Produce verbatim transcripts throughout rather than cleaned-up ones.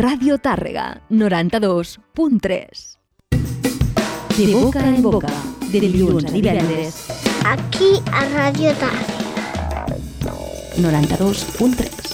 Ràdio Tàrrega, noranta-dos punt tres. De boca en boca, de dilluns a divendres. Aquí a Ràdio Tàrrega. noranta-dos punt tres.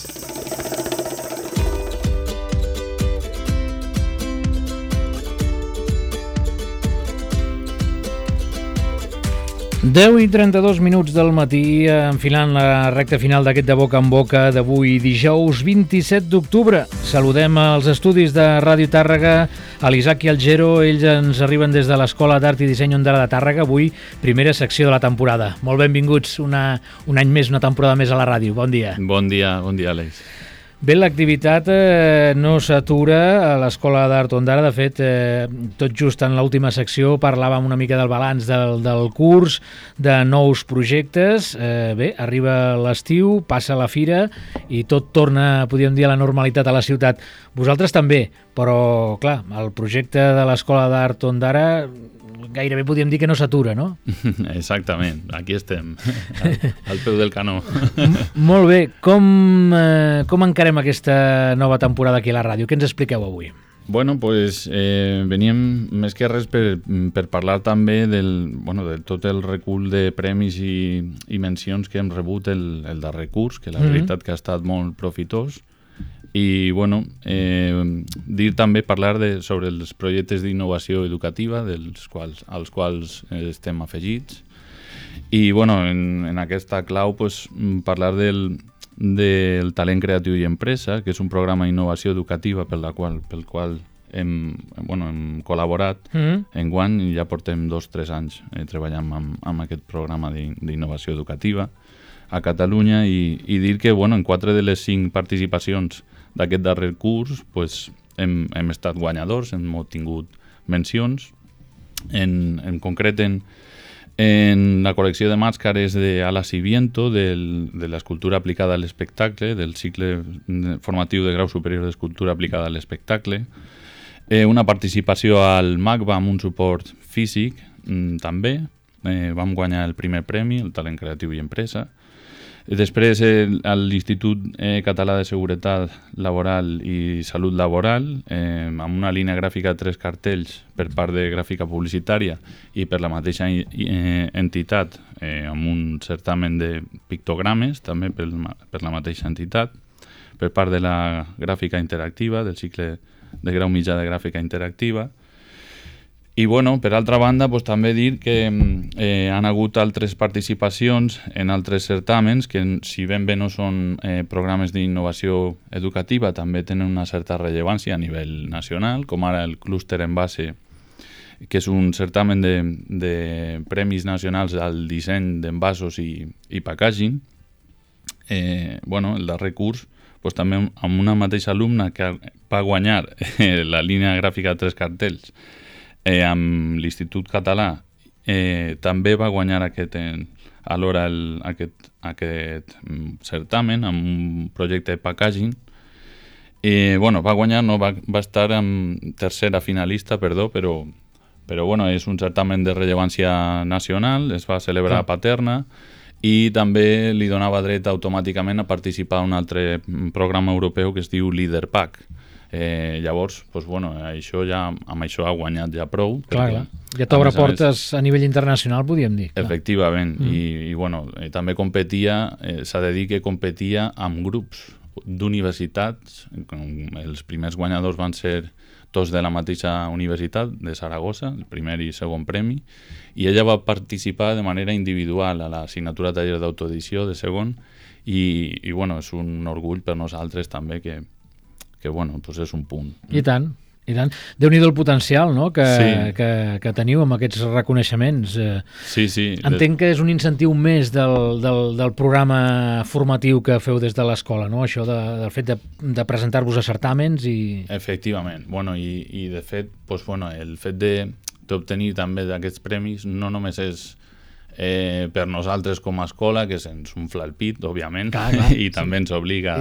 deu i trenta-dos minuts del matí, enfilant la recta final d'aquest de boca en boca d'avui, dijous vint-i-set d'octubre. Saludem als estudis de Ràdio Tàrrega, a l'Isaac i al Gero. Ells ens arriben des de l'Escola d'Art i Disseny Ondara de Tàrrega, avui primera secció de la temporada. Molt benvinguts, una, un any més, una temporada més a la ràdio. Bon dia. Bon dia, bon dia, Àlex. Bé, l'activitat eh, no s'atura a l'Escola d'Art Ondara. De fet, eh, tot just en l'última secció parlàvem una mica del balanç del, del curs, de nous projectes. Eh, bé, arriba l'estiu, passa la fira i tot torna, podríem dir, a la normalitat a la ciutat. Vosaltres també, però, clar, el projecte de l'Escola d'Art Ondara gairebé podríem dir que no s'atura, no? Exactament, aquí estem, al, al peu del canó. Molt bé, com, eh, com encarem aquesta nova temporada aquí a la ràdio? Què ens expliqueu avui? Bueno, pues eh, veníem més que res per, per parlar també del, bueno, de tot el recull de premis i, i mencions que hem rebut el, el darrer curs, que la mm-hmm. veritat que ha estat molt profitós. I, bueno, eh, dir també, parlar de, sobre els projectes d'innovació educativa dels quals, als quals estem afegits. I, bueno, en, en aquesta clau, pues, parlar del, del talent creatiu i empresa, que és un programa d'innovació educativa per la qual, pel qual hem, bueno, hem col·laborat. Mm-hmm. Enguany ja portem dos o tres anys eh, treballant amb, amb aquest programa d'innovació educativa a Catalunya i, i dir que, bueno, en quatre de les cinc participacions d'aquest darrer curs pues, hem, hem estat guanyadors, hem obtingut mencions. En, en concret, en, en la col·lecció de màscares d'Alas i Viento, del, de l'escultura aplicada a l'espectacle, del cicle formatiu de grau superior d'escultura aplicada a l'espectacle. Eh, una participació al MACBA amb un suport físic, mm, també. Eh, vam guanyar el primer premi, el talent creatiu i empresa. Després, eh, a l'Institut eh, Català de Seguretat Laboral i Salut Laboral, eh, amb una línia gràfica de tres cartells per part de gràfica publicitària i per la mateixa eh, entitat, eh, amb un certamen de pictogrames, també per, per la mateixa entitat, per part de la gràfica interactiva, del cicle de grau mitjà de gràfica interactiva. I, bueno, per altra banda, pues, també dir que eh, han hagut altres participacions en altres certàmens que, si ben bé no són eh, programes d'innovació educativa, també tenen una certa rellevància a nivell nacional, com ara el clúster en base, que és un certamen de, de premis nacionals al disseny d'envasos i, i packaging. Eh, bueno, el darrer curs, pues, també amb una mateixa alumna que va guanyar eh, la línia gràfica de tres cartells, Eh, amb l'Institut Català eh, també va guanyar aquest, eh, alhora el, aquest, aquest certamen amb un projecte de packaging. Eh, bueno, va guanyar, no, va, va estar en tercera finalista, perdó, però, però bueno, és un certamen de rellevància nacional, es va celebrar a Paterna i també li donava dret automàticament a participar en un altre programa europeu que es diu LeaderPack. Eh, llavors, pues, bueno, això ja, amb això ha guanyat ja prou. Clar, clar. Ja t'obre portes a, més, a nivell internacional, podríem dir. Clar. Efectivament, mm. I, i bueno, eh, també competia, eh, s'ha de dir que competia amb grups d'universitats. Els primers guanyadors van ser tots de la mateixa universitat, de Saragossa, el primer i segon premi, i ella va participar de manera individual a l'assignatura taller d'autoedició de segon, i, i bueno, és un orgull per nosaltres també que que bueno, doncs és un punt. I tant, i tant. Déu-n'hi-do el potencial, no?, que, sí. que, que teniu amb aquests reconeixements. Sí, sí. Entenc que és un incentiu més del, del, del programa formatiu que feu des de l'escola, no?, això de, del fet de, de presentar-vos a certàmens i... Efectivament. Bueno, i, i de fet, doncs, bueno, el fet d'obtenir també d'aquests premis no només és eh, per nosaltres com a escola, que se'ns umfla el pit, òbviament, clar, clar, i sí. també ens obliga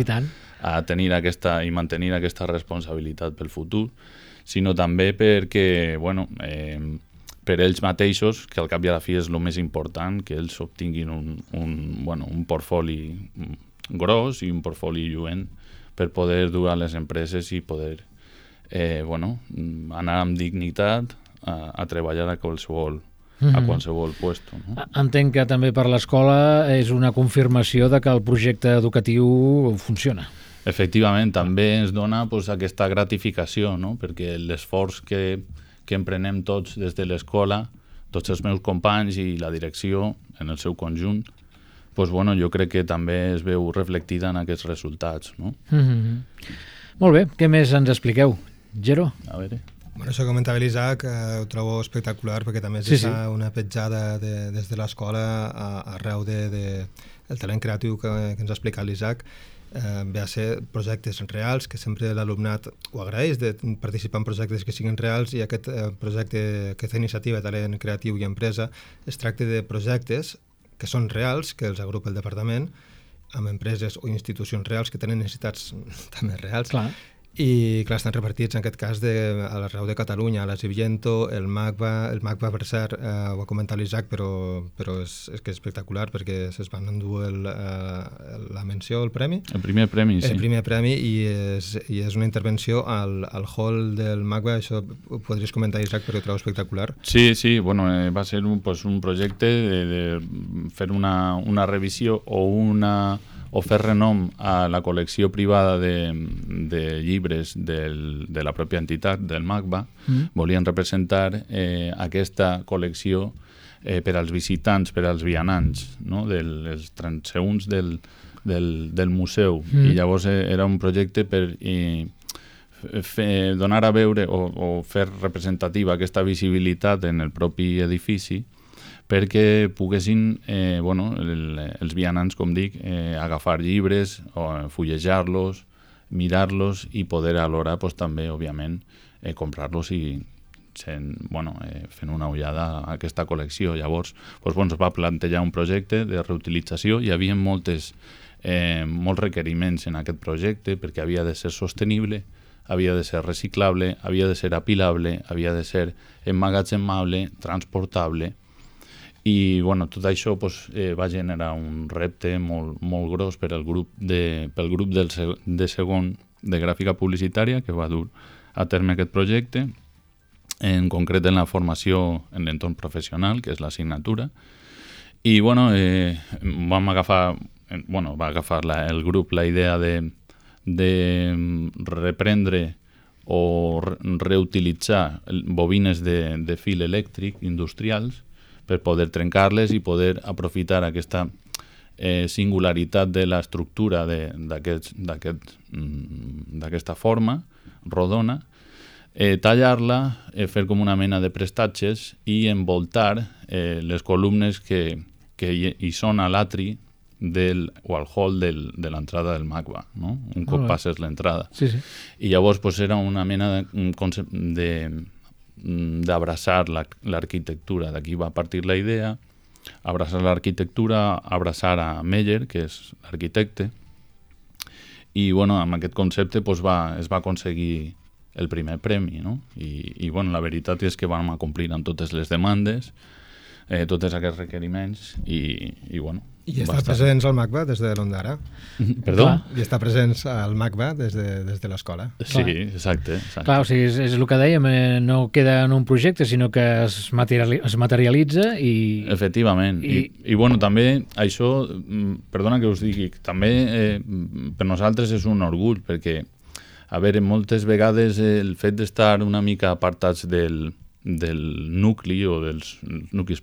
a tenir aquesta i mantenir aquesta responsabilitat pel futur, sinó també perquè, bueno, eh, per ells mateixos, que al cap i a la fi és el més important, que ells obtinguin un, un, bueno, un portfoli gros i un portfoli lluent per poder dur a les empreses i poder eh, bueno, anar amb dignitat a, a treballar a qualsevol, mm-hmm. a qualsevol puesto. No? Entenc que també per l'escola és una confirmació de que el projecte educatiu funciona. Efectivament, també ens dona pues, aquesta gratificació, no? Perquè l'esforç que, que emprenem tots des de l'escola, tots els meus companys i la direcció en el seu conjunt, pues, bueno, jo crec que també es veu reflectida en aquests resultats. No? Mm-hmm. Molt bé, què més ens expliqueu? Gero? A veure... Bueno, això comentava l'Isaac, eh, ho trobo espectacular perquè també es sí, deixa sí. una petjada de, des de l'escola arreu de, de, el talent creatiu que, que ens ha explicat l'Isaac. Eh, ve a ser projectes reals, que sempre l'alumnat ho agraeix, de participar en projectes que siguin reals, i aquest eh, projecte, aquesta iniciativa de talent creatiu i empresa, es tracta de projectes que són reals, que els agrupa el departament, amb empreses o institucions reals que tenen necessitats també reals. Clar. I clar, estan repartits en aquest cas de, a l'arreu de Catalunya, a l'Asiviento, el MACBA, el MACBA per cert, eh, ho ha comentat l'Isaac, però, però és, és que és espectacular perquè es van endur el, eh, la menció, el premi. El primer premi, sí. El primer premi i és, i és una intervenció al, al hall del MACBA, això ho podries comentar, Isaac, perquè ho trobo espectacular. Sí, sí, bueno, eh, va ser un, pues, un projecte de, de fer una, una revisió o una... o fer renom a la col·lecció privada de, de llibres del, de la pròpia entitat, del MACBA. Mm. Volien representar eh, aquesta col·lecció eh, per als visitants, per als vianants, no? Del, dels transeünts del, del, del museu. Mm. I llavors eh, era un projecte per eh, fer, donar a veure o, o fer representativa aquesta visibilitat en el propi edifici, perquè poguessin, eh, bueno, el, els vianants, com dic, eh, agafar llibres, o fullejar-los, mirar-los i poder alhora pues, també, òbviament, eh, comprar-los i sent, bueno, eh, fent una ullada a aquesta col·lecció. Llavors, pues, bueno, es va plantejar un projecte de reutilització. Hi havia moltes, eh, molts requeriments en aquest projecte perquè havia de ser sostenible, havia de ser reciclable, havia de ser apilable, havia de ser emmagatzemable, transportable. I bueno, tot això pues, eh, va generar un repte molt, molt gros per al grup, de, pel grup del, de segon de gràfica publicitària que va dur a terme aquest projecte, en concret en la formació en l'entorn professional, que és l'assignatura. I bueno, eh, vam agafar, bueno, va agafar la, el grup la idea de, de reprendre o re reutilitzar bobines de, de fil elèctric industrials per poder trencar-les i poder aprofitar aquesta eh, singularitat de l'estructura d'aquesta aquest, forma rodona, eh, tallar-la, eh, fer com una mena de prestatges i envoltar eh, les columnes que, que hi, hi són a l'atri del, o al hall del, de l'entrada del MACBA, no? Un cop passes l'entrada. Sí, sí. I llavors pues, era una mena de, de d'abraçar l'arquitectura. D'aquí va partir la idea, abraçar l'arquitectura, abraçar a Meyer, que és l'arquitecte, i bueno, amb aquest concepte pues, va, es va aconseguir el primer premi, no? I, i bueno, la veritat és que vam acomplir amb totes les demandes, eh, tots aquests requeriments, i, i bueno... I està presents al MACBA des de l'Ondara. Perdó? I està presents al MACBA des de, des de l'escola. Sí, exacte. exacte. Clar, o sigui, és, és el que dèiem, eh, no queda en un projecte, sinó que es, materiali es materialitza i... Efectivament. I... I, I bueno, també això, perdona que us digui, també eh, per nosaltres és un orgull, perquè, a veure, moltes vegades el fet d'estar una mica apartats del... del nucli o dels nuclis,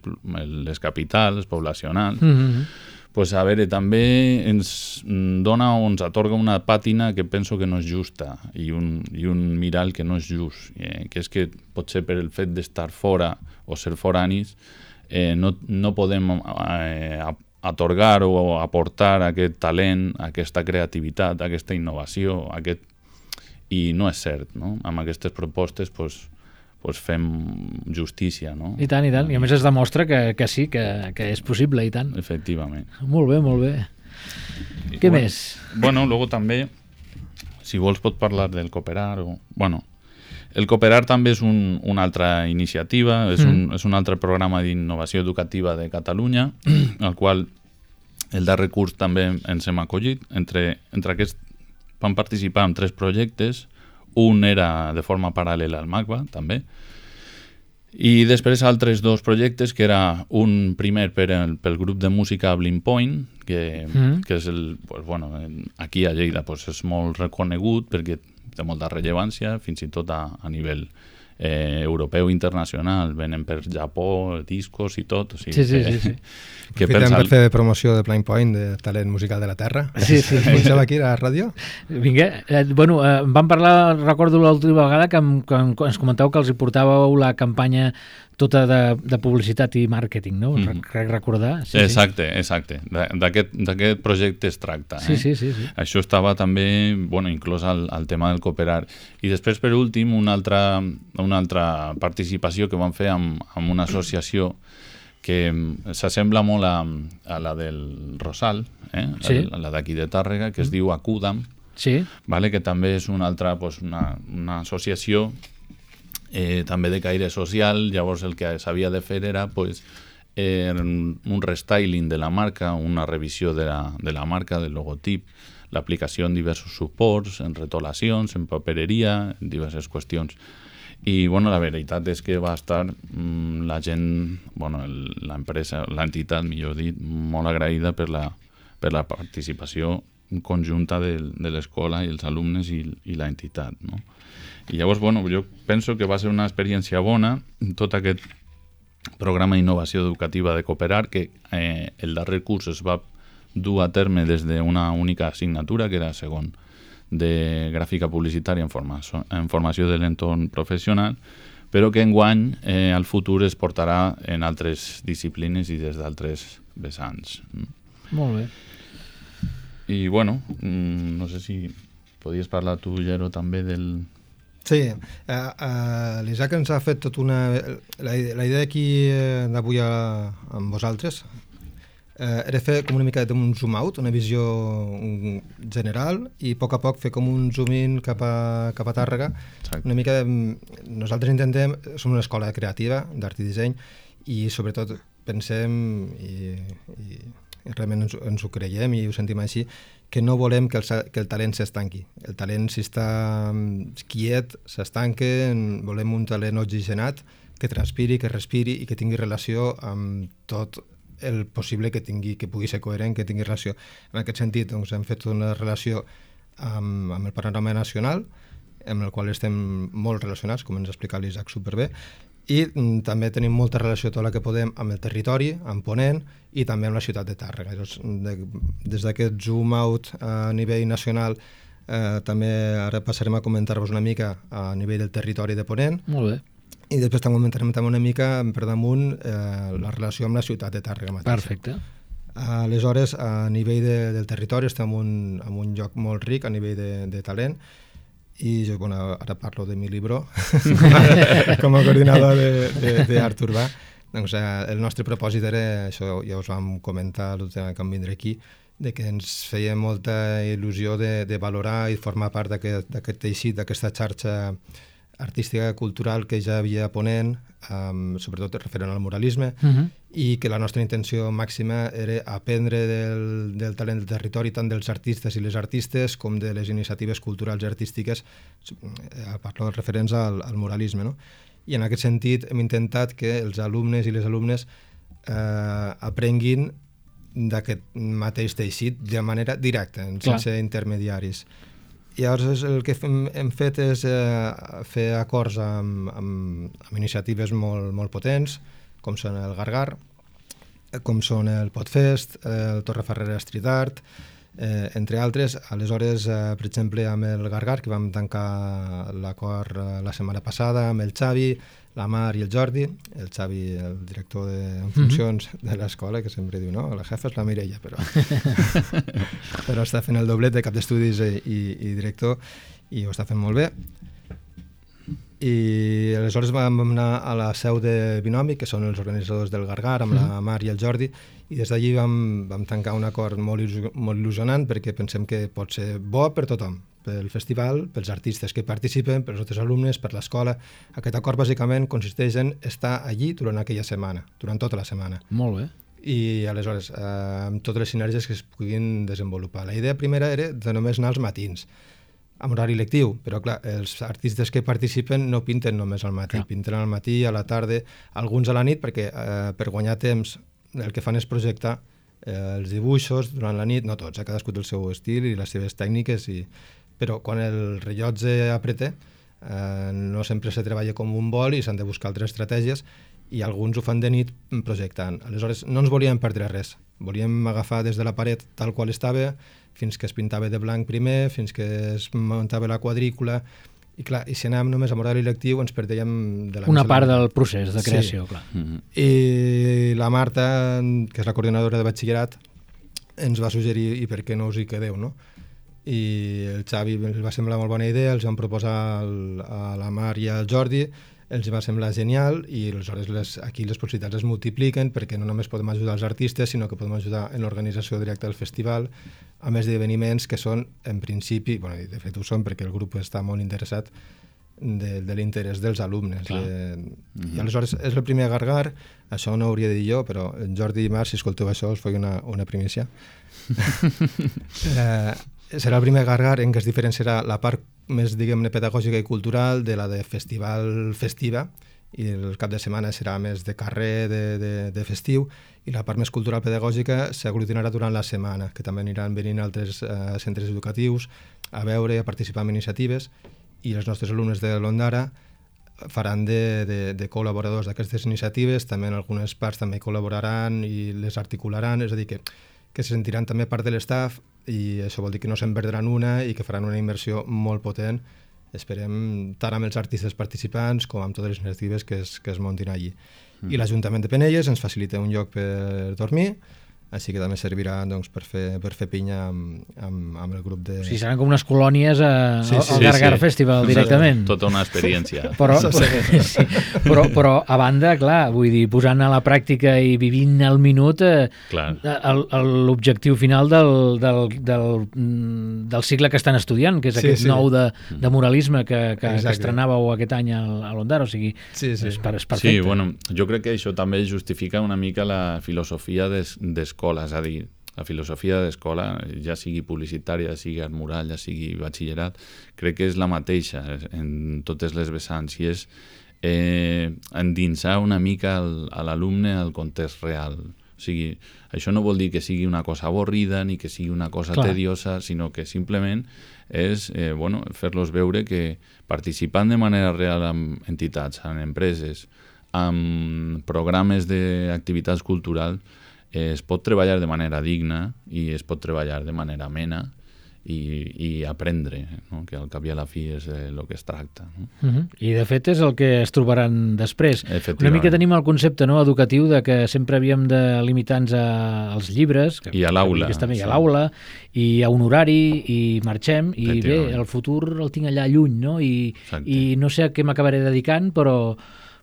les capitals poblacionals, mm-hmm. pues, a veure, també ens dona o ens atorga una pàtina que penso que no és justa i un, i un mirall que no és just, eh, que és que potser per el fet d'estar fora o ser foranis eh, no, no podem eh, atorgar o aportar aquest talent, aquesta creativitat, aquesta innovació, aquest... i no és cert, no? Amb aquestes propostes, pues, pues fem justícia, no? I tant, i tant. I a més es demostra que, que sí, que, que és possible, i tant. Efectivament. Molt bé, molt bé. I, Què bueno, més? Bueno, luego també, si vols pot parlar del Cooperar o... Bueno, el Cooperar també és un, una altra iniciativa, és, mm. un, és un altre programa d'innovació educativa de Catalunya, al qual el darrer curs també ens hem acollit. Entre, entre aquests van participar en tres projectes. un era de forma paral·lela al MACBA, també, i després altres dos projectes, que era un primer per el, pel grup de música Blind Point, que, mm. que és el, pues, bueno, aquí a Lleida pues, és molt reconegut perquè té molta rellevància, fins i tot a, a nivell eh, europeu internacional, venen per Japó, discos i tot. O sigui, sí, sí, que, sí, sí. Que Aprofitem per fer promoció de Blind Point, de talent musical de la Terra. Sí, sí. Comencem aquí a la ràdio. Vinga, eh, bueno, eh, vam parlar, recordo l'última vegada, que, em, que ens comenteu que els hi portàveu la campanya tota de, de publicitat i màrqueting, no? Mm. Crec recordar. Sí, exacte, sí. exacte. D'aquest projecte es tracta. Sí, eh? sí, sí, sí. Això estava també, bueno, inclòs al, al tema del cooperar. I després, per últim, una altra, una altra participació que vam fer amb, amb una associació que s'assembla molt a, a la del Rosal, eh? Sí. a la d'aquí de Tàrrega, que es diu Acudam, sí. vale? Que també és una altra, pues, una, una associació eh, també de caire social. Llavors el que s'havia de fer era pues, eh, un restyling de la marca, una revisió de la, de la marca, del logotip, l'aplicació en diversos suports, en retolacions, en papereria, en diverses qüestions. I bueno, la veritat és que va estar mmm, la gent, bueno, l'empresa, l'entitat, millor dit, molt agraïda per la, per la participació conjunta de, de l'escola i els alumnes i, i l'entitat, no? I llavors, bueno, jo penso que va ser una experiència bona, tot aquest programa d'innovació educativa de Cooperar, que eh, el darrer curs es va dur a terme des d'una única assignatura, que era segon, de gràfica publicitària en, formació, en formació de l'entorn professional, però que enguany eh, al futur es portarà en altres disciplines i des d'altres vessants. Molt bé. I bueno, no sé si podies parlar tu, Llero, també del... Sí, uh, uh, l'Isaac ens ha fet tot una... La, la idea aquí eh, d'avui a, amb vosaltres eh, era fer com una mica d'un zoom out, una visió general, i a poc a poc fer com un zoom in cap a, cap a Tàrrega. Exacte. Una mica... Nosaltres intentem... Som una escola creativa d'art i disseny i sobretot pensem i, i, i realment ens, ens ho creiem i ho sentim així, que no volem que el, que el talent s'estanqui. El talent, si està quiet, s'estanca, volem un talent oxigenat, que transpiri, que respiri i que tingui relació amb tot el possible que tingui, que pugui ser coherent, que tingui relació. En aquest sentit, doncs, hem fet una relació amb, amb el panorama nacional, amb el qual estem molt relacionats, com ens ha explicat l'Isaac superbé, i mm, també tenim molta relació tot la que podem amb el territori, amb Ponent i també amb la ciutat de Tàrrega. Llavors, de, des d'aquest zoom out a nivell nacional eh, també ara passarem a comentar-vos una mica a nivell del territori de Ponent. Molt bé. I després també comentarem també una mica per damunt eh, la relació amb la ciutat de Tàrrega mateixa. Perfecte. Aleshores, a nivell de, del territori estem en un, en un lloc molt ric a nivell de, de talent. I jo, bueno, ara parlo de mi libro com a coordinador d'art urbà. Doncs, eh, el nostre propòsit era, això ja us vam comentar l'últim que vam vindre aquí, de que ens feia molta il·lusió de, de valorar i formar part d'aquest teixit, d'aquesta xarxa artística cultural que ja havia a Ponent, um, sobretot referent al muralisme, uh-huh. i que la nostra intenció màxima era aprendre del, del talent del territori, tant dels artistes i les artistes com de les iniciatives culturals i artístiques, a parlar referents al, al muralisme, no? I en aquest sentit hem intentat que els alumnes i les alumnes eh, aprenguin d'aquest mateix teixit de manera directa, sense Clar. intermediaris. I llavors el que hem, hem fet és eh, fer acords amb, amb, amb iniciatives molt, molt potents, com són el Gargar, com són el Podfest, el Torreferrera Street Art, eh, entre altres. Aleshores, eh, per exemple, amb el Gargar, que vam tancar l'acord eh, la setmana passada, amb el Xavi, la Mar i el Jordi, el Xavi, el director de, en funcions mm-hmm. de l'escola, que sempre diu, no, la jefa és la Mireia, però, però està fent el doblet de cap d'estudis i, i, i director, i ho està fent molt bé. I aleshores vam anar a la seu de Binomi, que són els organitzadors del Gargar, amb mm-hmm. la Mar i el Jordi, i des d'allí vam, vam tancar un acord molt, molt il·lusionant, perquè pensem que pot ser bo per tothom, pel festival, pels artistes que participen, pels nostres alumnes, per l'escola. Aquest acord bàsicament consisteix en estar allí durant aquella setmana, durant tota la setmana. Molt bé. I aleshores, eh, amb totes les sinergies que es puguin desenvolupar. La idea primera era de només anar als matins, amb horari lectiu, però clar, els artistes que participen no pinten només al matí, clar. pinten al matí, a la tarda, alguns a la nit, perquè eh, per guanyar temps el que fan és projectar eh, els dibuixos durant la nit, no tots, eh, cadascú té el seu estil i les seves tècniques, i... però quan el rellotge apreta, eh, no sempre se treballa com un vol i s'han de buscar altres estratègies, i alguns ho fan de nit projectant. Aleshores, no ens volíem perdre res. Volíem agafar des de la paret tal qual estava, fins que es pintava de blanc primer, fins que es muntava la quadrícula, i clar, i si anàvem només amb horari lectiu ens perdèiem de la Una part del procés de creació, sí. clar. Mm-hmm. I la Marta, que és la coordinadora de batxillerat, ens va suggerir i per què no us hi quedeu, no? I el Xavi els va semblar molt bona idea, els vam proposar al, a la Mar i al Jordi, els va semblar genial, i aleshores les, aquí les possibilitats es multipliquen, perquè no només podem ajudar els artistes, sinó que podem ajudar en l'organització directa del festival, a més d'esdeveniments que són, en principi, bueno, de fet ho són perquè el grup està molt interessat de, de l'interès dels alumnes. De, mm-hmm. I aleshores és el primer Gargar, això no ho hauria de dir jo, però Jordi i Marc, si escolteu això, us faig una, una primícia. eh, serà el primer Gargar en què es diferenciarà la part més, diguem-ne, pedagògica i cultural de la de festival festiva, i el cap de setmana serà més de carrer, de, de, de festiu, i la part més cultural pedagògica s'aglutinarà durant la setmana, que també aniran venint altres eh, centres educatius a veure, a participar en iniciatives, i els nostres alumnes de l'Ondara faran de, de, de col·laboradors d'aquestes iniciatives, també en algunes parts també col·laboraran i les articularan, és a dir, que, que se sentiran també part de l'estaf, i això vol dir que no se'n perdran una i que faran una immersió molt potent, esperem, tant amb els artistes participants com amb totes les iniciatives que es, que es muntin allí. Mm. I l'Ajuntament de Penelles ens facilita un lloc per dormir, així que també servirà doncs, per, fer, per fer pinya amb, amb, amb el grup de... O sigui, seran com unes colònies a, sí, sí, al Gargar sí, sí. Festival directament. Tota una experiència. Però, sí, però, però a banda, clar, vull dir, posant a la pràctica i vivint al minut eh, l'objectiu final del, del, del, del cicle que estan estudiant, que és sí, aquest sí. nou de, de muralisme que, que, que estrenàveu aquest any al, a l'Ondara, o sigui, sí, sí. És, per, és perfecte. Sí, bueno, jo crec que això també justifica una mica la filosofia des, d'escola, és a dir, la filosofia d'escola, ja sigui publicitària, ja sigui art mural, ja sigui batxillerat, crec que és la mateixa en totes les vessants, i és eh, endinsar una mica el, a l'alumne al context real. O sigui, això no vol dir que sigui una cosa avorrida ni que sigui una cosa Clar. tediosa, sinó que simplement és eh, bueno, fer-los veure que participant de manera real amb entitats, amb empreses, amb programes d'activitats culturals, eh, es pot treballar de manera digna i es pot treballar de manera amena i, i aprendre, no? Que al cap i a la fi és el que es tracta. No? Uh-huh. I de fet és el que es trobaran després. Una mica tenim el concepte, no, educatiu de que sempre havíem de limitar-nos als llibres que, i a l'aula, sí. I a l'aula i a un horari i marxem i bé, el futur el tinc allà lluny, no? I, i no sé a què m'acabaré dedicant, però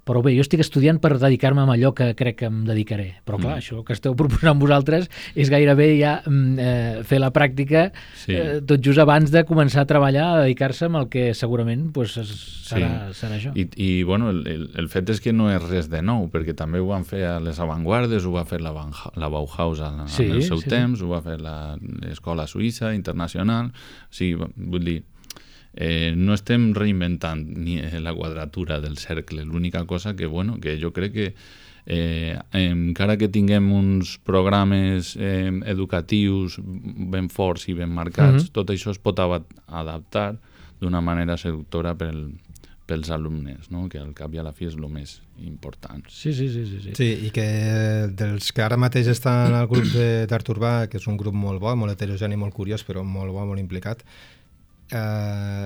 Però bé, jo estic estudiant per dedicar-me a allò que crec que em dedicaré. Però clar, mm. això que esteu proposant vosaltres és gairebé ja eh, fer la pràctica sí. eh, tot just abans de començar a treballar, a dedicar-se amb el que segurament pues, serà, sí. serà això. I, i bueno, el, el, el fet és que no és res de nou, perquè també ho van fer a les avantguardes, ho va fer la, la Bauhaus en, sí, en el seu sí, temps, sí. ho va fer l'escola suïssa, internacional, o sigui, vull dir, Eh, no estem reinventant ni la quadratura del cercle, l'única cosa que, bueno, que jo crec que eh, encara que tinguem uns programes eh, educatius ben forts i ben marcats, mm-hmm. tot això es pot adaptar d'una manera seductora pel, pels alumnes, no? Que al cap i a la fi és el més important. Sí, sí, sí, sí, sí. Sí, i que dels que ara mateix estan al grup d'Art Urbà, que és un grup molt bo, molt heterogeni, molt curiós, però molt bo, molt implicat, Uh,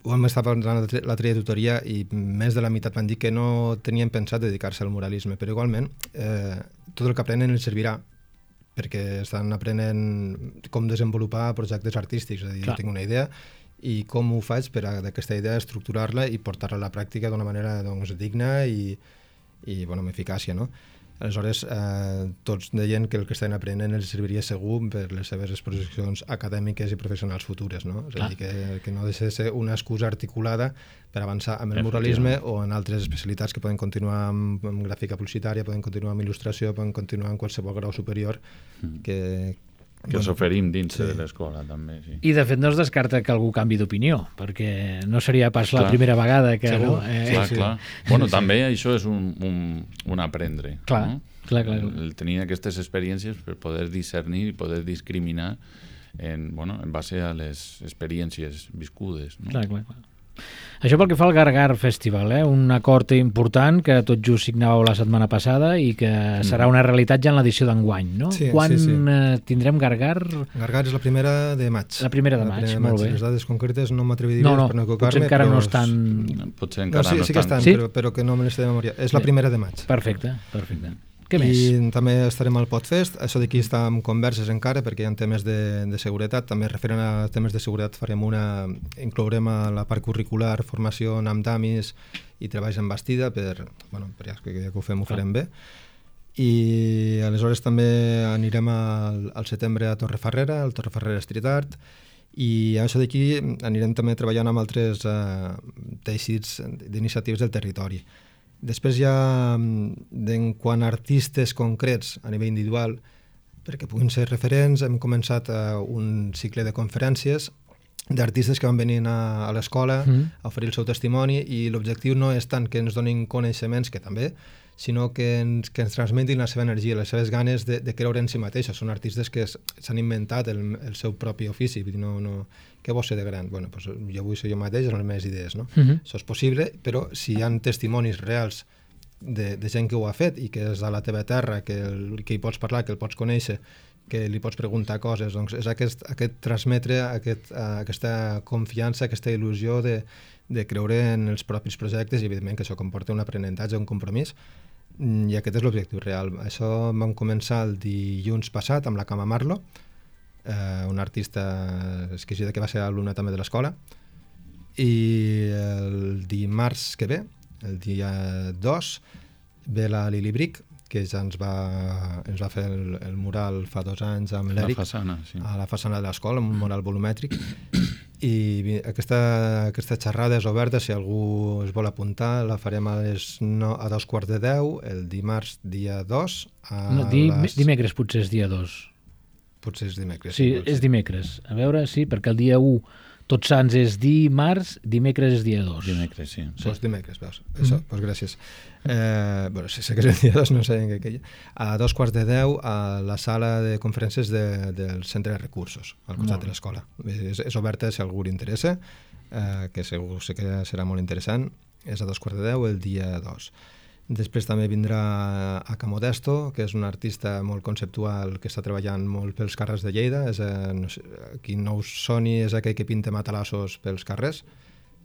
ho hem estat parlant la trajectòria i més de la meitat van dir que no tenien pensat dedicar-se al muralisme, però igualment eh, tot el que aprenen els servirà perquè estan aprenent com desenvolupar projectes artístics, és a dir, Clar. jo tinc una idea i com ho faig per a aquesta idea estructurar-la i portar-la a la pràctica d'una manera doncs, digna i, i bueno, amb eficàcia, no? Aleshores, eh, tots deien que el que estan aprenent els serviria segur per les seves exposicions acadèmiques i professionals futures, no? És a dir, que, que no deixa de ser una excusa articulada per avançar amb el muralisme o en altres especialitats que poden continuar amb, amb gràfica publicitària, poden continuar amb il·lustració, poden continuar amb qualsevol grau superior que, que ens oferim dins sí. de l'escola també, sí. I de fet no es descarta que algú canvi d'opinió, perquè no seria pas clar. La primera vegada que... Segur. No? Eh, clar, sí. clar. Bueno, sí. també això és un, un, un aprendre. Clar, no? clar, clar. El, el tenir aquestes experiències per poder discernir i poder discriminar en, bueno, en base a les experiències viscudes. No? Clar, clar, clar. Això pel que fa al Gargar Festival, eh? Un acord important que tot just signàveu la setmana passada i que serà una realitat ja en l'edició d'enguany, no? Sí, Quan sí, sí. Eh, tindrem Gargar? Gargar és la primera de maig. La primera de la maig, primera de molt maig. bé. Les dades concretes no m'atreviria no, no, per no potser equivocar-me. encara però no estan... Potser encara no, sí, no sí que estan. estan, sí? però, però que no me les sé de memòria. És la primera de maig. Perfecte, perfecte. Què I més? també estarem al Podfest. Això d'aquí està en converses encara perquè hi ha temes de, de seguretat. També referent a temes de seguretat farem una... inclourem a la part curricular formació amb damis i treballs en bastida per, bueno, per ja que, ja que ho fem, ho farem bé. I aleshores també anirem al, al setembre a Torrefarrera, al Torrefarrera Street Art, i això d'aquí anirem també treballant amb altres eh, teixits d'iniciatives del territori. Després ja, en quant a artistes concrets a nivell individual, perquè puguin ser referents, hem començat uh, un cicle de conferències d'artistes que van venir a, a l'escola mm. a oferir el seu testimoni, i l'objectiu no és tant que ens donin coneixements, que també, sinó que ens, que ens transmetin la seva energia, les seves ganes de, de creure en si mateixos. Són artistes que s'han inventat el, el seu propi ofici, vull dir, no, no, què vols ser de gran? Bueno, pues jo vull ser jo mateix en les meves idees, no? Uh -huh. Això és possible, però si hi ha testimonis reals de, de gent que ho ha fet i que és a la teva terra, que, el, que hi pots parlar, que el pots conèixer, que li pots preguntar coses, doncs és aquest, aquest transmetre aquest, uh, aquesta confiança, aquesta il·lusió de, de creure en els propis projectes, i evidentment que això comporta un aprenentatge, un compromís, i aquest és l'objectiu real. Això vam començar el dilluns passat amb la Cama Marlo, eh, una artista exquisida que va ser alumna també de l'escola, i el dimarts que ve, el dia dos, ve la Lili Bric, que ja ens va, ens va fer el, el mural fa dos anys amb l'Eric, la façana, sí. a la façana de l'escola, amb un mural volumètric, i aquesta, aquesta xerrada és oberta, si algú es vol apuntar, la farem a, les no, a dos quarts de deu, el dimarts dia dos. A no, di, les... Dimecres potser és dia dos. Potser és dimecres. Sí, sí és dimecres. A veure, sí, perquè el dia u Tots Sants és dimarts, dimecres és dia dos. Dimecres, sí. Doncs sí. Dimecres, veus. Això, mm-hmm. doncs gràcies. Eh, bueno, si sé que és el dia dos, no sé en què queia. A dos quarts de deu, a la sala de conferències de, del Centre de Recursos, al costat de l'escola. És, és oberta si algú li interessa, eh, que segur sé que serà molt interessant. És a dos quarts de deu, el dia dos. Després també vindrà a Camodesto, que és un artista molt conceptual que està treballant molt pels carrers de Lleida. És, eh, no sé, qui no us soni és aquell que pinta matalassos pels carrers,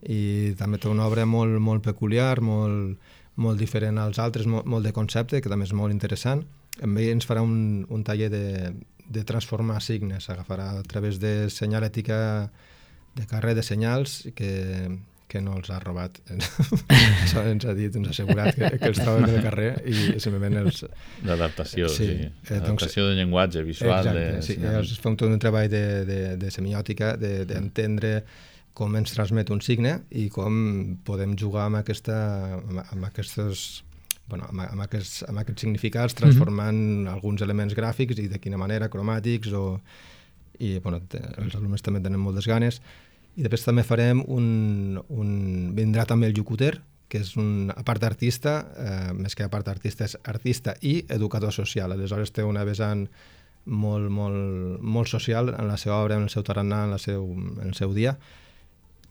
i també té una obra molt, molt peculiar, molt, molt diferent als altres, molt, molt de concepte, que també és molt interessant. Amb ell ens farà un, un taller de, de transformar signes, agafarà a través de senyalètica de carrer, de senyals que... que no els ha robat. Això ens ha dit, ens ha assegurat que, que els troben al carrer i simplement els... L'adaptació, sí. sí. Eh, L'adaptació doncs, de llenguatge visual. Exacte, de... sí. Els fem tot un treball de, de, de semiòtica, d'entendre de, com ens transmet un signe i com podem jugar amb, aquesta, amb, amb aquests... Bueno, amb, amb, aquests, amb aquests significats, transformant mm-hmm. alguns elements gràfics i de quina manera, cromàtics, o... i bueno, els alumnes també tenen moltes ganes. I després també farem un, un... vindrà també el Yucuter, que és un, a part d'artista, eh, més que a part d'artista, és artista i educador social. Aleshores té una vessant molt, molt, molt social en la seva obra, en el seu tarannà, en, la seu, en el seu dia.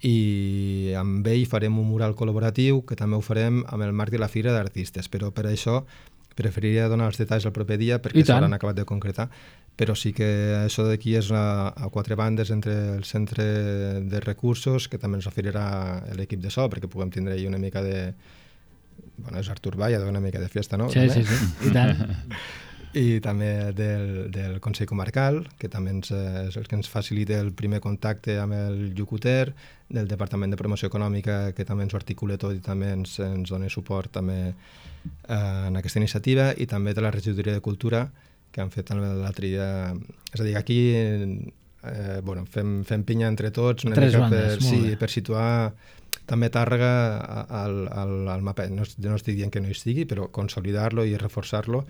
I amb ell farem un mural col·laboratiu, que també ho farem amb el marc de la Fira d'Artistes, però per això preferiria donar els detalls el proper dia perquè s'hauran acabat de concretar. Però sí que això d'aquí és a, a quatre bandes entre el centre de recursos, que també ens oferirà l'equip de so, perquè puguem tindre una mica de... Bueno, és Artur Vall, ha de una mica de fiesta, no? Sí, també? sí, sí, i tant. I també del, del Consell Comarcal, que també ens, és el que ens facilita el primer contacte amb el Yucuter, del Departament de Promoció Econòmica, que també ens ho articula tot i també ens, ens dona suport també eh, en aquesta iniciativa, i també de la Regidoria de Cultura, que han fet l'altre dia. És a dir, aquí eh, bueno, fem, fem pinya entre tots una Tres mica bandes, per, sí, per situar també Tàrrega al, al, al mapa. No, no estic dient que no hi estigui, però consolidar-lo i reforçar-lo.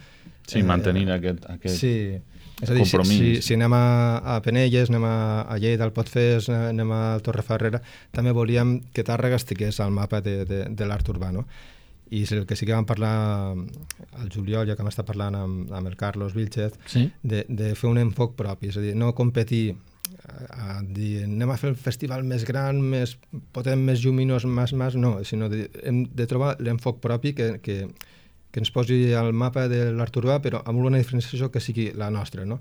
Sí, eh, mantenir aquest... aquest... Sí, És a dir, si, compromís. si, si anem a, a Penelles, anem a, a Lleida, al Potfés, anem a Torrefarrera, també volíem que Tàrrega estigués al mapa de, de, de l'art urbà, no? I el que sí que vam parlar al juliol, ja que hem estat parlant amb, amb el Carlos Vilchez, sí. de, de fer un enfoc propi, és a dir, no competir a, a dir anem a fer el festival més gran, més potent, més lluminós, més, més, no, sinó de, hem de trobar l'enfoc propi que, que, que ens posi al mapa de l'art urbà, però amb una diferenciació que sigui la nostra, no?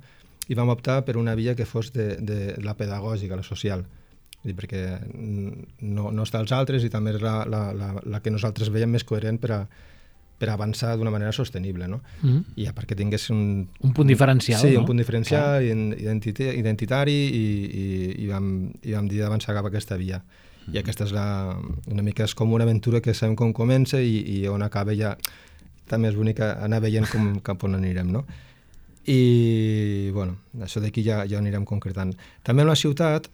I vam optar per una via que fos de, de la pedagògica, la social, perquè no, no està als altres i també és la, la, la, la que nosaltres veiem més coherent per a, per a avançar d'una manera sostenible, no? Mm-hmm. I a part que tingués un... Un punt diferencial, sí, no? un punt diferencial, identitari, identitari i, i, i, vam, i vam dir d'avançar cap a aquesta via. Mm-hmm. I aquesta és la, una mica és com una aventura que sabem com comença i, i on acaba ja... També és bonic anar veient com, cap on anirem, no? I, bueno, això d'aquí ja, ja anirem concretant. També en la ciutat,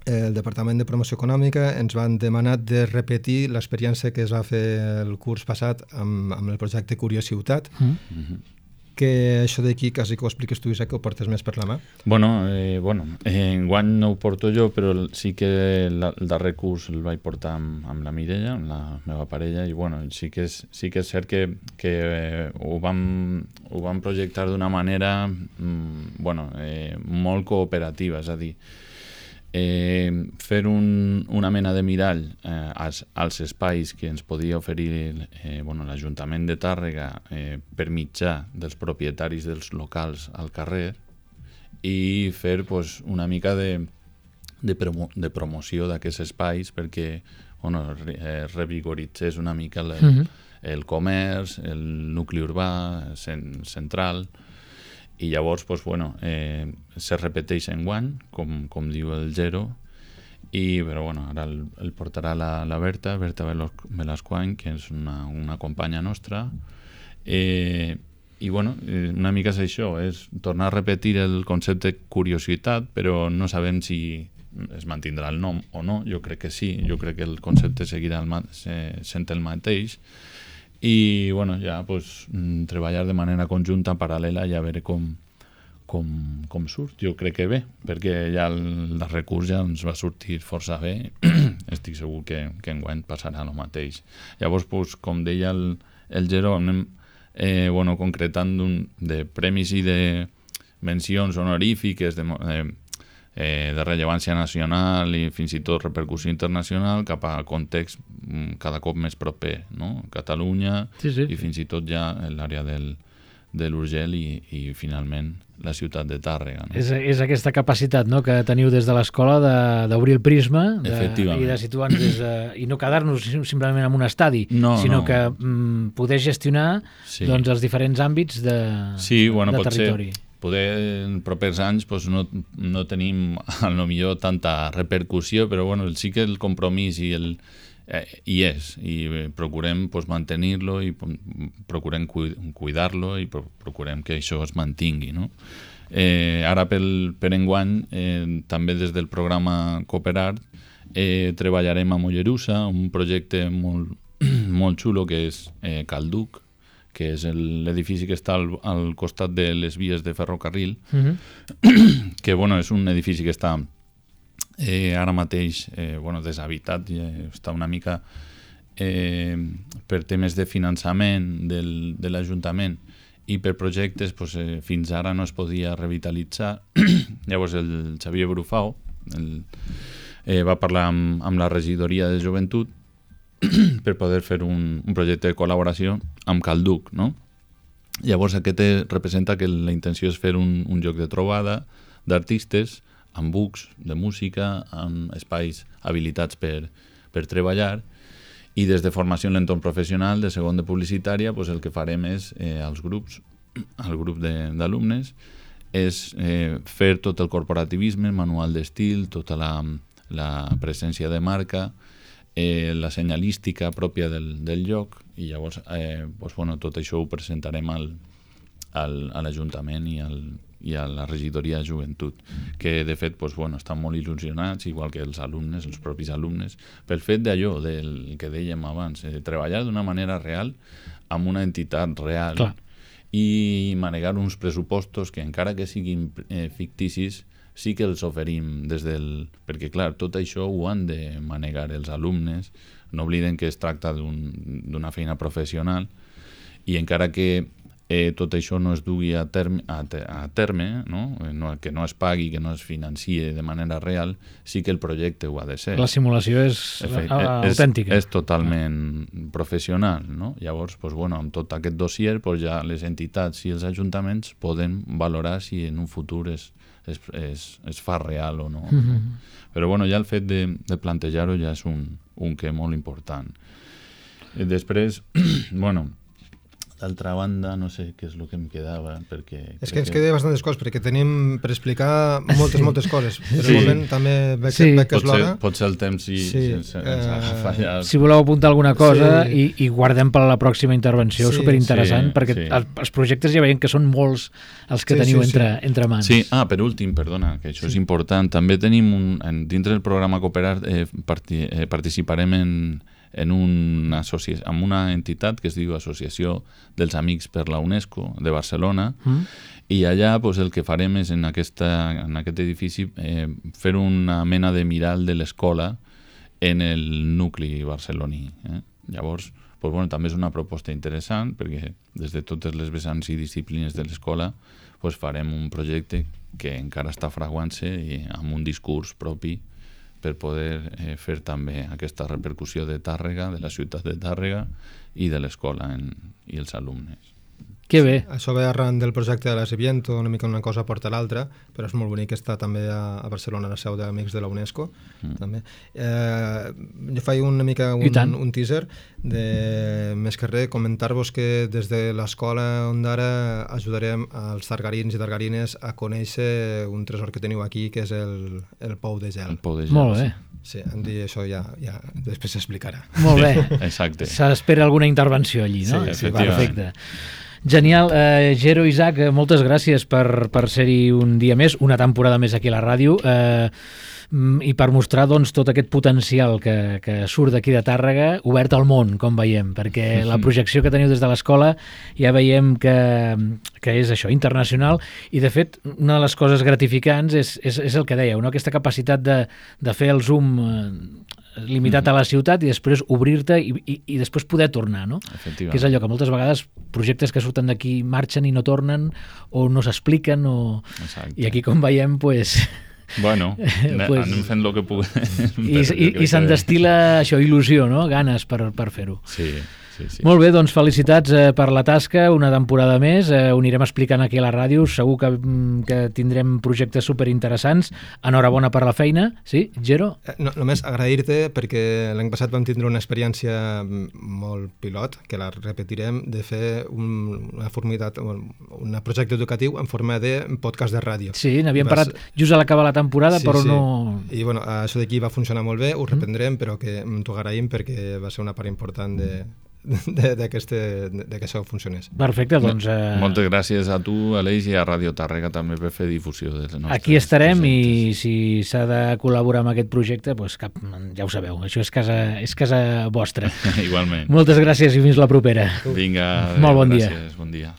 el Departament de Promoció Econòmica ens van demanar de repetir l'experiència que es va fer el curs passat amb, amb el projecte Curiositat, mm-hmm. que això d'aquí quasi que ho expliques tu, Isaac, que ho portes més per la mà. Bueno, eh, bueno eh, enguany no ho porto jo, però sí que la, el darrer curs el vaig portar amb, amb la Mireia, amb la meva parella, i bueno, sí que és, sí que és cert que, que eh, ho, vam, ho vam projectar d'una manera mm, bueno, eh, molt cooperativa, és a dir, Eh, fer un, una mena de mirall eh, als, als espais que ens podia oferir eh, bueno, l'Ajuntament de Tàrrega eh, per mitjà dels propietaris dels locals al carrer i fer pues, una mica de, de, promo, de promoció d'aquests espais perquè bueno, eh, revigoritzés una mica el, mm-hmm. el comerç, el nucli urbà cent, central. I llavors, pues, bueno, eh, se repeteix enguany, com, com diu el Gero, i, però bueno, ara el, el portarà la, la Berta, Berta Velasquany, que és una, una companya nostra, eh, i bueno, una mica és això, és tornar a repetir el concepte curiositat, però no sabem si es mantindrà el nom o no, jo crec que sí, jo crec que el concepte seguirà el, sent el mateix, i bueno, ja pues, treballar de manera conjunta, paral·lela, i a veure com, com, com surt. Jo crec que bé, perquè ja el darrer curs ja ens va sortir força bé. Estic segur que, que enguany passarà el mateix. Llavors, pues, com deia el, el Gero, anem eh, bueno, concretant un, de premis i de mencions honorífiques de, eh, eh, de rellevància nacional i fins i tot repercussió internacional cap a context cada cop més proper, no? Catalunya sí, sí. I fins i tot ja l'àrea del, de l'Urgell i, i finalment la ciutat de Tàrrega. No? És, és aquesta capacitat, no?, que teniu des de l'escola d'obrir el prisma de, i de situar-nos des de, i no quedar-nos simplement en un estadi, no, sinó no. que mm, poder gestionar sí. doncs, els diferents àmbits de, sí, bueno, de territori. Ser. Poder en propers anys pues, no, no tenim a lo millor tanta repercussió, però bueno, sí que el compromís i el, eh, hi és, i procurem pues, mantenir-lo i procurem cuidar-lo i procurem que això es mantingui. No? Eh, ara pel, per enguany, eh, també des del programa Cooperart, eh, treballarem a Mollerussa, un projecte molt, molt xulo que és eh, Calduc, que és l'edifici que està al, al costat de les vies de ferrocarril, mm-hmm. que bueno, és un edifici que està eh, ara mateix eh, bueno, deshabitat, eh, està una mica eh, per temes de finançament del, de l'Ajuntament i per projectes pues, eh, fins ara no es podia revitalitzar. Llavors el Xavier Brufau el, eh, va parlar amb, amb la regidoria de joventut per poder fer un, un projecte de col·laboració amb Calduc, no? Llavors aquest representa que la intenció és fer un, un lloc de trobada d'artistes amb bucs de música, amb espais habilitats per, per treballar, i des de formació en l'entorn professional, de segon de publicitària, pues el que farem és, eh, als grups, al grup d'alumnes, és eh, fer tot el corporativisme, manual d'estil, tota la, la presència de marca, Eh, la senyalística pròpia del, del lloc, i llavors eh, pues, bueno, tot això ho presentarem al, al, a l'Ajuntament i, al, i a la regidoria de joventut, que de fet pues, bueno, estan molt il·lusionats, igual que els alumnes, els propis alumnes, pel fet d'allò, del que dèiem abans, de treballar d'una manera real amb una entitat real. Clar. i manegar uns pressupostos que encara que siguin eh, ficticis sí que els oferim des del... Perquè, clar, tot això ho han de manegar els alumnes. No obliden que es tracta d'una un, feina professional i encara que eh, tot això no es dugui a terme, a, a terme no? No, que no es pagui, que no es financie de manera real, sí que el projecte ho ha de ser. La simulació és Efecte, autèntica. És, és totalment ah. professional. No? Llavors, pues, bueno, amb tot aquest dossier, pues, ja les entitats i els ajuntaments poden valorar si en un futur es, es, es, es fa real o no. Mm-hmm. Però bueno, ja el fet de, de plantejar-ho ja és un, un que molt important. I després, bueno... D'altra banda, no sé què és el que em quedava, perquè... És que ens que... queda bastantes coses, perquè tenim per explicar moltes, sí. moltes coses. Però sí. moment també veig, sí. veig que és l'hora. Potser el temps sí, sí. ens, ens uh... ha fallat. Si voleu apuntar alguna cosa sí. i, i guardem per a la pròxima intervenció, sí. superinteressant, sí. perquè sí. Els, els projectes ja veiem que són molts els que sí, teniu sí, entre, sí. entre mans. Sí, ah, per últim, perdona, que això sí. és important. També tenim, un, en, dintre del programa Cooperar, eh, parti, eh, participarem en... en una, associa- en una entitat que es diu Associació dels Amics per la UNESCO de Barcelona mm. i allà pues, el que farem és en, aquesta, en aquest edifici eh, fer una mena de miral de l'escola en el nucli barceloní. Eh? Llavors, pues, bueno, també és una proposta interessant perquè des de totes les vessants i disciplines de l'escola pues, farem un projecte que encara està fraguant-se i amb un discurs propi per poder eh, fer també aquesta repercussió de Tàrrega, de la ciutat de Tàrrega i de l'escola en, i els alumnes. Que bé. Sí, això ve arran del projecte de l'Asiviento, una mica una cosa porta l'altra, però és molt bonic estar també a, a Barcelona, a la seu d'Amics de la UNESCO. Mm. També. Eh, jo faig una mica un, un teaser de, més que res, comentar-vos que des de l'escola Ondara ajudarem als targarins i targarines a conèixer un tresor que teniu aquí, que és el, el Pou de Gel. El Pou de Gel. Molt bé. Sí, em dir això ja, ja després s'explicarà. Molt bé. Exacte. S'espera alguna intervenció allí, no? Sí, efectivament. Perfecte. Genial. Eh, Gero, Isaac, moltes gràcies per, per ser-hi un dia més, una temporada més aquí a la ràdio, eh, i per mostrar doncs, tot aquest potencial que, que surt d'aquí de Tàrrega, obert al món, com veiem, perquè la projecció que teniu des de l'escola ja veiem que, que és això, internacional, i de fet una de les coses gratificants és, és, és el que dèieu, no? Aquesta capacitat de, de fer el zoom eh, limitat a la ciutat i després obrir-te i, i, i després poder tornar, no? Que és allò que moltes vegades projectes que surten d'aquí marxen i no tornen o no s'expliquen o... i aquí com veiem pues... Bueno, pues... anem fent el que puguem. I, i, i se'n destila això, il·lusió, no? Ganes per, per fer-ho. Sí. Sí, sí. Molt bé, doncs felicitats eh, per la tasca, una temporada més, eh, ho anirem explicant aquí a la ràdio, segur que, que tindrem projectes superinteressants. Enhorabona per la feina, sí, Gero? No, només agrair-te perquè l'any passat vam tindre una experiència molt pilot, que la repetirem, de fer un, una formitat, un projecte educatiu en forma de podcast de ràdio. Sí, n'havíem parlat just a l'acabar la temporada, sí, però sí. no... I bueno, això d'aquí va funcionar molt bé, ho reprendrem, mm. però que t'ho agraïm perquè va ser una part important de... de, de, que, este, de que això funcionés. Perfecte, doncs... Eh... Moltes gràcies a tu, Aleix, i a Ràdio Tàrrega també per fer difusió dels nostres Aquí estarem projectes. I si s'ha de col·laborar amb aquest projecte, doncs cap, ja ho sabeu, això és casa, és casa vostra. Igualment. Moltes gràcies i fins la propera. Vinga, molt bon gràcies, dia. Bon dia.